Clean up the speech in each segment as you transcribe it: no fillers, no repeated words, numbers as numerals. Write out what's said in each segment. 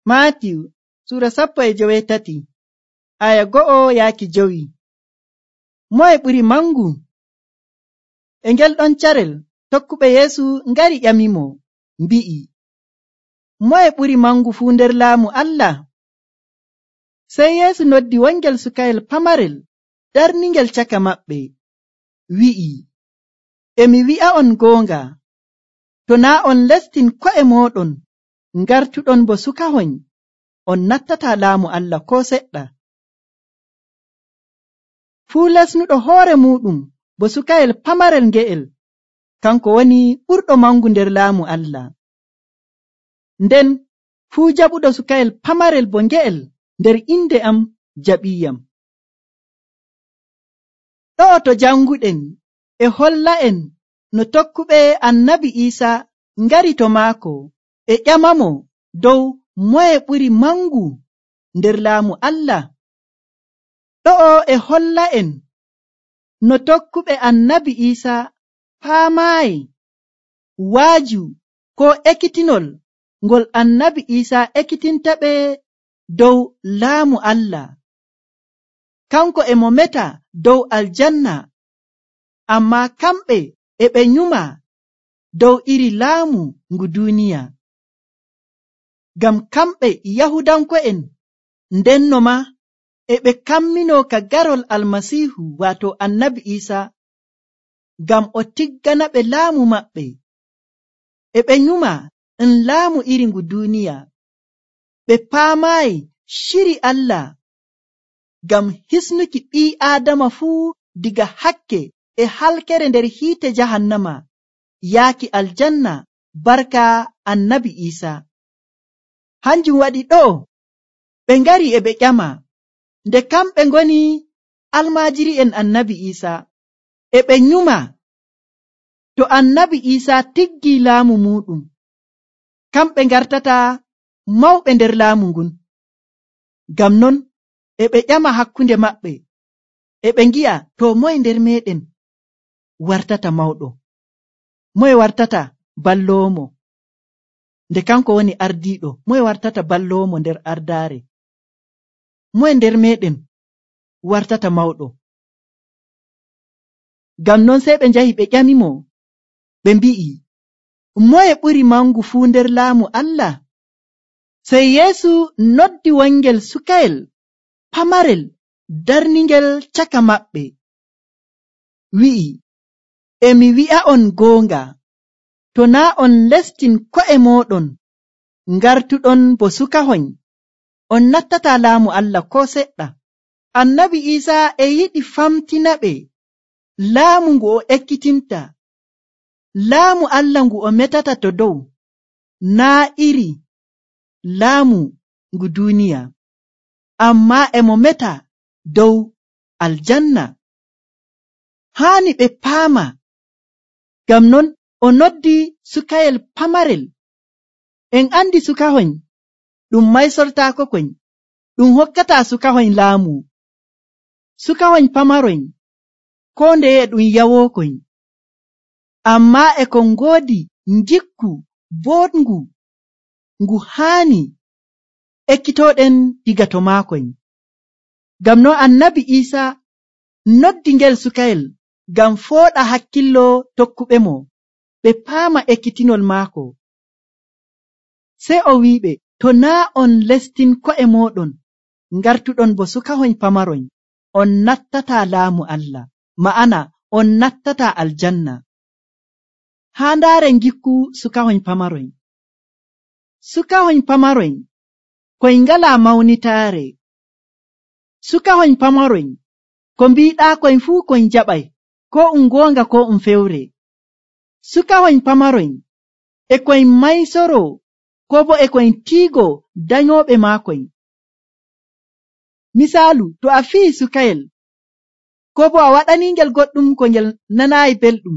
Maatiyu sura 18 aya 1-5. Moye ɓuri mangu? E ngel ɗon carel tokkuɓe Yeesu ngari ƴamimo mbi'i, moye ɓuri mangu fuu nder laamu Allah? Sey Yeesu noddi wongel sukayel pamarel darningel caka maɓɓe, wi'i, e mi wi'a'on goonga, to naa on lestin ko'e mooɗon ngartuɗon bo sukahoy, on nattataa laamu Allah koo seɗɗa. Fuu lesnuɗo hoore muuɗum bo sukayel pamarel nge'el, kanko woni ɓurɗo mangu nder laamu Allah. Nden fuu jaɓuɗo sukayel pamarel bo nge'el nder inde am jaɓiiyam. Ɗo'o to janguɗen e holla'en no tokkuɓe Annabi Iisaa ngari to maako e ƴamamo dow moye ɓuri mangu nder laamu Allah. Ɗo'o e holla'en no tokkuɓe Annabi Iisaa paamaayi waaju koo ekkitinol ngol Annabi Iisaa ekkitintaɓe dow laamu Allah. Kanko e mo meta dow aljanna, ammaa kamɓe e ɓe nyuma dow iri laamu ngu duuniya. Ngam kamɓe Yahudanko'en ndenno maa e ɓe kamminoo ka garol Almasiihu waato Annabi Iisaa ngam o tigganaɓe laamu maɓɓe. E ɓe nyuma laamu iri ngu duuniya. Ɓe paamaayi shiri Allah ngam hisnuki ɓii Aadama fuu diga hakke e halkere nder hiite jahannama yaaki aljanna barka Annabi Iisaa. Hanjum waɗi ɗo'o ɓe ngari e ɓe ƴama nde kamɓe ngoni almaajiri'en Annabi Iisaa, e ɓe nyuma to Annabi Iisaa tiggii laamu muuɗum, kamɓe ngartata mawɓe nder laamu ngun. Ngam non e ɓe ƴama hakkunde maɓɓe, e ɓe ngi'a to moye nder meeɗen wartata mawɗo, moye wartata balloowo nde kanko woni ardiiɗo, moye wartata balloowo nder ardaare, moye nder meeɗen wartata mawɗo. Ngam non sey ɓe njahi ɓe ƴamimo, ɓe mbi'i, moye ɓuri mangu fuu nder laamu Allah? Sey Yeesu noddi wongel sukayel pamarel darningel caka maɓɓe, wi'i, e mi wi'a'on goonga, to naa on lestin ko'e mooɗon ngartuɗon bo sukahoy, on nattataa laamu Allah koo seɗɗa. Annabi Iisaa e yiɗi famtinaɓe laamu ngu o ekkitinta, laamu Allah ngu o metata to dow, naa iri laamu ngu duuniya, ammaa e mo meta dow aljanna. Haani ɓe paama, ngam non o noddi sukayel pamarel. En andi sukahoy ɗum maysortaako koy, ɗum hokkataa sukahoy laamu. Sukahoy pamaroy koo ndeye ɗum yawookoy, ammaa e kon ngoodi ngikku boɗngu ngu haani ekkitooɗen diga to maakoy. Ngam no Annabi Iisaa noddi ngel sukayel ngam fooɗa hakkillo tokkuɓe mo ɓe paama ekkitinol maako. Sey o wi'iɓe, to naa on lestin ko'e mooɗon ngartuɗon bo sukahoy pamaroy, on nattataa laamu Allah, ma'ana on nattataa aljanna. Haa ndaare ngikku sukahoy pamaroy. Sukahoy pamaroy koy ngalaa mawnitaare. Sukahoy pamaroy ko mbiiɗaakoy fuu koy jaɓay, koo goonga koo fewre. Sukahoy pamaroy e koy maysoroo koo bo e koy tiigo danyooɓe maakoy. Misaalu, to a fii sukayel koo bo a waɗaniingel goɗɗum ko ngel nanaayi belɗum,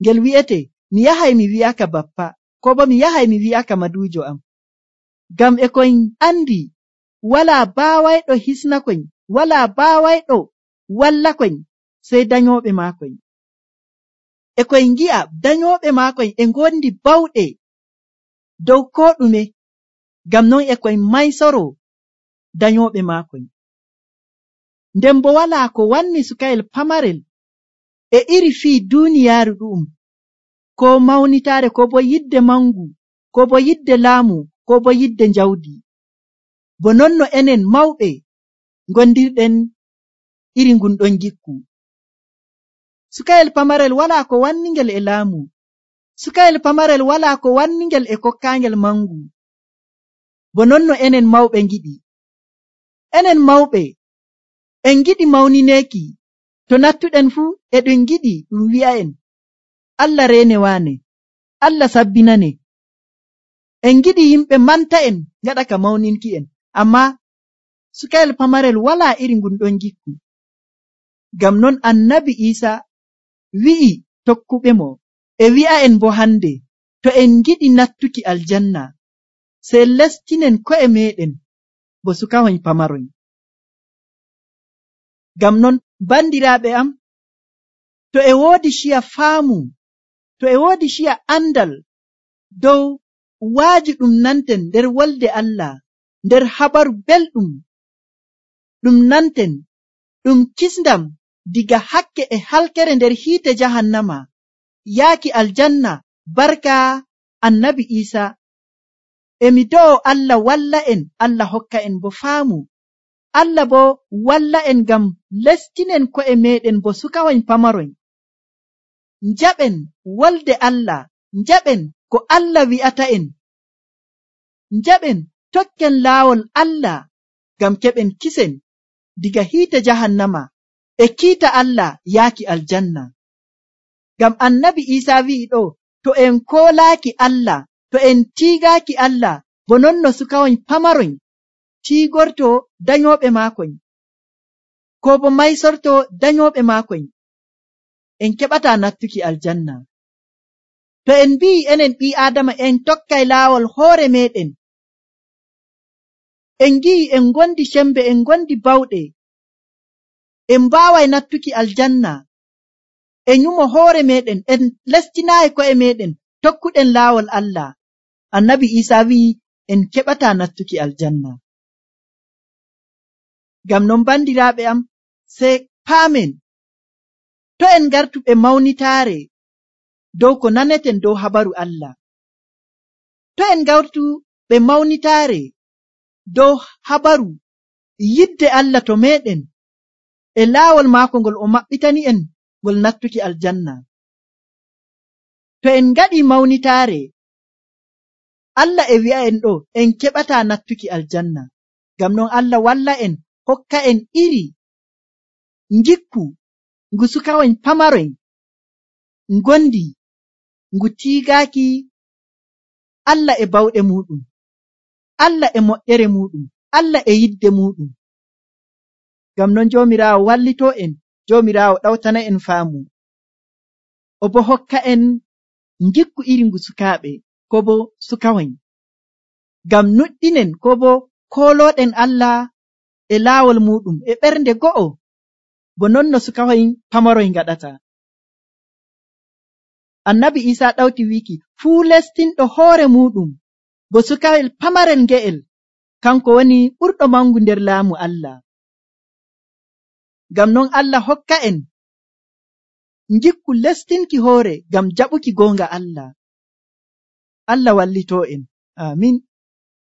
ngel wi'ete, mi yahay mi wi'aka bappa, koo bo mi yahay mi wi'aka maduujo am. Ngam e koy andi walaa baawayɗo hisnakoy, walaa baawayɗo wallakoy sey danyooɓe maakoy. E koy ngi'a danyooɓe maakoy e ngondi bawɗe dow koo ɗume. ngam non e koye maysoro dayoɓe maakon. Nden bo walaa ko wanni sukayel pamarel e iri fii duuniyaaru ɗu'um, ko mawnitaare, ko bo yidde mangu, ko bo yidde laamu, ko bo yidde njawdi. Bo non no enen mawɓe gondirɗen iri ngun ɗon gikku. Sukayel pamarel walaa ko wanningel e laamu. Sukayel pamarel walaa ko wanningel e kokkaangel mangu. Bo non no enen mawɓe ngiɗi. Enen mawɓe en giɗi mawnineeki. To nattuɗen fuu eɗen giɗi ɗum wi'a'en Allah reene waane, Allah sabbinane. En giɗi yimɓe manta en ngaɗa ka mawninki en. Ammaa sukayel pamarel walaa iri ngun ɗon gikku. Ngam non annabi Iisa wi'i tokkuɓe mo e wi'a'en bo hande, to en giɗi nattuki aljanna sey lestinen ko'e meɗen bo sukahoy pamaroy. Ngam non bandiraaɓe am, to e woodi ciya faamu, to e woodi ciya andal dow waaji ɗum nanten nder wolde Allah, nder habaru belɗum ɗum nanten ɗum kisndam diga hakke e halkere nder hiite jahannama yaaki aljanna barka annabi Iisa, emi do'o Allah walla en, Allah hokka en bo faamu, Allah bo walla en ngam lestinen ko'e meɗen bo sukahoy pamaroy. Njaɓen wolde Allah, njaɓen ko Allah wi'ata en, njaɓen tokken laawol Allah ngam keɓen kisen diga hiite jahannama e kiita Allah yaaki aljanna. Ngam annabi Iisa wi'i ɗo, to en koolaaki Allah, to en tiigaaki Allah, bo non no sukahoy pamaroy tiigorto dayoɓe maakoy, ko bo maysorto dayoɓe maakoy, en keɓataa nattuki aljanna. To en mbi'i enen ɓii Aadama en tokkay laawol hoore meɗen, en ngi'i en gondi sembe, en gondi bawɗe, en mbaaway nattuki aljanna e nyumo hoore meɗen, en lestinaayi ko'e meɗen tokkuɗen laawol Allah. Annabi Iisa wi'i en keɓataa nattuki aljanna. Ngam non bandiraaɓe am, sey paamen to en ngartu ɓe mawnitaare dow ko naneten dow habaru Allah. To en ngartu ɓe mawnitaare dow habaru yidde Allah to meɗen e laawol maako ngol o maɓɓitani en ngol nattuki aljanna. To en ngaɗi mawnitaare, Allah e wi'a en ɗo en keɓataa nattuki aljanna. Ngam non Allah walla en, hokka en iri ngikku ngu sukahoy pamaroy ngondi ngu tiigaaki Allah e bawɗe muɗum, Allah e moƴƴere muɗum, Allah e yidde muɗum. Ngam non Joomiraawo wallito en, Joomiraawo ɗawtana en faamu, o bo hokka en ngikku iri ngu sukaaɓe ko bo sukahoy, ngam nuɗɗinen ko bo koolooɗen Allah e laawol muɗum e ɓernde go'o, bo non no sukahoy pamaroy ngaɗata. Annabi Iisa ɗawti wiki fuu lestinɗo hoore muɗum bo sukayel pamarel nge'el, kanko woni ɓurɗo mangu nder laamu Allah. Ngam non Allah hokka en ngikku lestinki hoore ngam jaɓuki goonga Allah. Allah wallito en. Amin.